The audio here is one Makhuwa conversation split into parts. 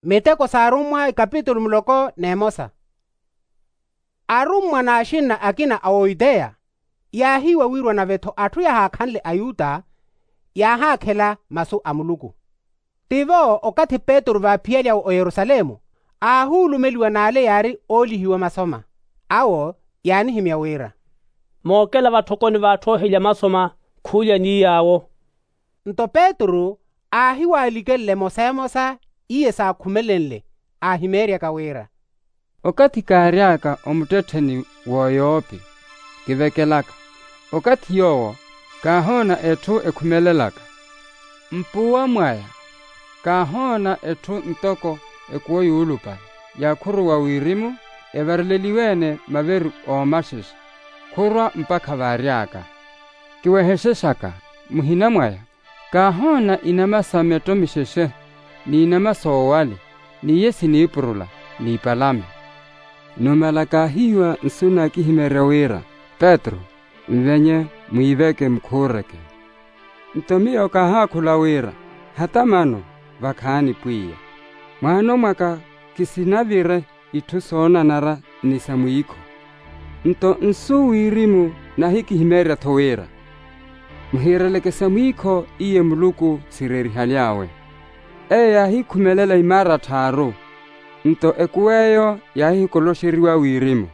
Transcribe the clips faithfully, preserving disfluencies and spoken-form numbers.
Miteko s'arummwa ikapitulu muloko n'emosa. Arummwa n'axinna akina a oyuteya yaahiiwa wirwa nave-tho atthu yahaakhanle ayuta yaahaakhela masu a muluku. Tivo okathi petru vaaphiyalyawe oyerusalemu aahuulumeliwa n'ale yaari oolihiwa masoma awo yaanihimya wira, mookela vatthokoni v'atthu oohelya masoma khuulya ni yaawo. Nto petru aahiwaalikenle emosa emosa iye saakhumelenle aahimeeryaka wira, okathi kaary'aka omuttettheni w'oyoopi kivekelaka, okathi yoowo kaahoona etthu ekhumelelaka. Mpuwa mwaya kaahoona etthu ntoko ekuwo yuulupale yaakhuruwa wirimu evareleliwe-ene maveru oomaxexa khurwa mpakha vaary'aka. Kiwehexexaka muhina mwaya kaahoona inama sa metto mixexe n'inama soowali n'iye siniipurula n'ipalame. Numala kaahiiwa nsu naakihimeerya wira petru nvenye mwiiveke mukhuureke. Nto miyo kaahaakhula wira hata mano vakhaani pwiya mwaano mwaka kisinavire itthu soonanara ni sa mwiikho. Nto nsu wirimu naahikihimeerya-tho wira muhiireleke sa mwiikho iye muluku sireerihaly'awe. Eyo yaahikhumelela imaara tthaaru. Nto ekuw'eyo yaahikoloxeriwa wirimu.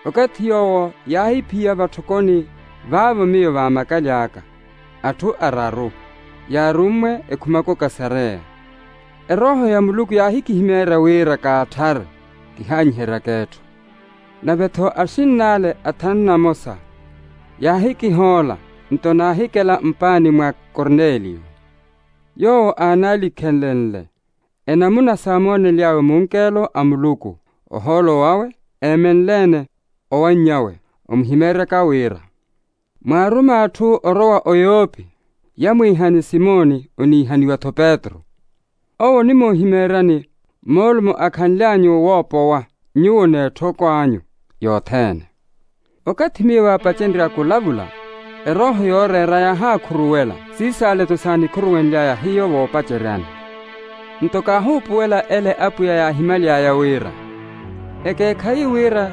Okathi yoowo yaahiphiya vatthokoni vaavo miyo vaamakaly'aka atthu araru yaarummwe ekhumako kasareya. Erooho ya muluku yaahikihimeerya wira kaatthare kihaanyiheryaka etthu. Nave-tho axinn'ale athanu namosa yaahikihoola nto naahikela mpaani mwa korneliyo. Yoowo aanaalikhenlenle enamuna saamoonely'awe munkelo a muluku ohoolo wawe eemenle-ene owanny'awe omuhimeeryaka wira, mwaaruma atthu orowa oyoopi yamwiihani simoni oniihaniwa-tho petru. Owo onimuhimeeryani moolumo akhanly'anyu woopowa nyuwo n'etthoko anyu yothene. Okathi miyo vaapacenrya kulavula erooho yooreera yaahakhuruwela siisaale-tho saanikhuruwenly'aya hiyo voopaceryani. Nto kaahuupuwela ele apwiya yaahimaly'aya wira ekeekhayi wira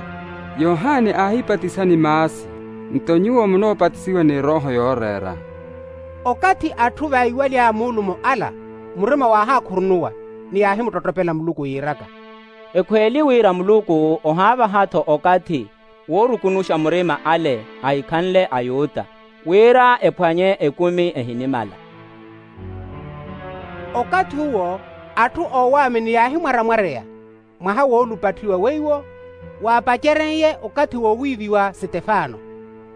yohani aahipatisani maasi nto nyuwo munoopatisiwa ni erooho yooreera. Okathi atthu vaiwaly'aya muulumo ala murima waahakhurunuwa ni yaahimuttottopela muluku yiiraka, ekhweeli wira muluku ohaavaha-tho okathi woorukunuxa murima ale ahikhanle ayuta wira ephwanye ekumi ehinimala. Okathi uwo atthu oowaamini yaahimwaramwareya mwaha woolupatthiwa weiwo waapaceren'ye okathi woowiiviwa sitefano.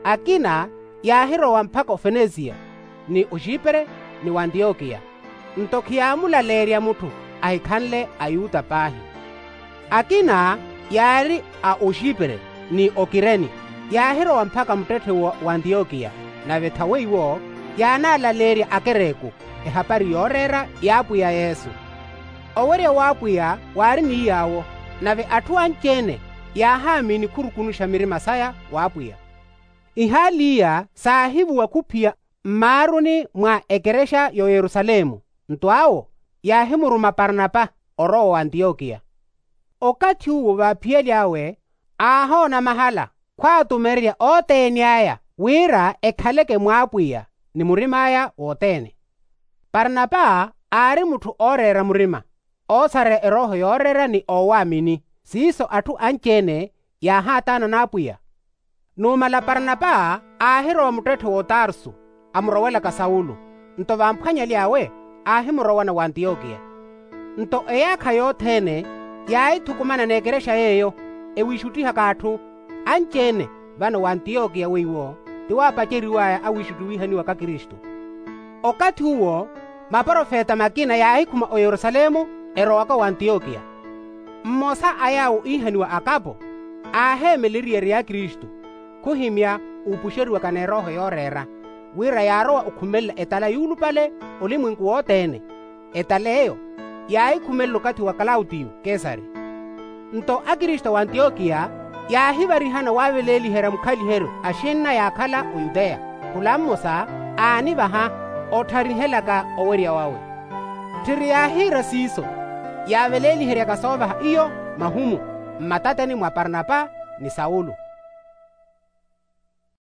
Akina yaahirowa mpakha ofenesiya ni oxipre ni wantiyokiya. Nto khiyaamulaleerya mutthu ahikhanle ayuta paahi. Akina yaari a oxipre ni okireni yaahirowa mpakha muttetthe w'antiyokiya. Nave thawe iwo yaanaalaleerya akereku ehapari yooreera y'apwiya yesu. Owerya w'apwiya waari ni yaawo nave atthu anci-ene yaahaamini khurukunuxa mirima saya w'apwiya. Ihaali iya saahivuwa khuphiya mmaaruni mwa ekerexa y'oyerusalemu. Nto awo yaahimuruma parnapa orowa w'antiyokiya. Okathi uwo vaaphiyali awe aahoona mahala khwaatumererya othene aya wira ekhaleke mw'apwiya ni murim'aya wothene. Parnapa aari mutthu ooreera murima oosareya erooho yooreera ni oowaamini siiso atthu anci-ene yaahaataana n'apwiya. Numala parnapa aahirowa muttetthe w'otarsu amurowelaka saulo. Nto vamphwanyali awe aahimurowana w'antiyokiya. Nto eyaakha yothene yaahithukumana n'ekerexa yeeyo ewiixuttihaka atthu anci-ene vano w'antiyokiya weiwo tiwaapaceriw'aya awiixuttiwihaniwaka kristu. Okathi uwo maprofeta makina yaahikhuma oyerusalemu erowaka w'antiyokiya. Mmosa a yaawo iihaniwa akapo aaheemeleriwa eriyari ya kristu khuhimya uupuxeriwaka n'erooho yooreera wira yaarowa okhumelela etala yuulupale olimwenku wothene. Etala eyo yaahikhumelela okathi wa klautiyo kesari. Nto akristu a w'antiyokiya yaahivarihana waaveleeliherya mukhaliheryo axinna yaakhala oyuteya khula mmosa aanivaha ottharihelaka owerya wawe. Tthiri yaahiira siiso Yaaveleliheryaka soovaha iyo mahumu mmatateni mwa parnapa ni saulo.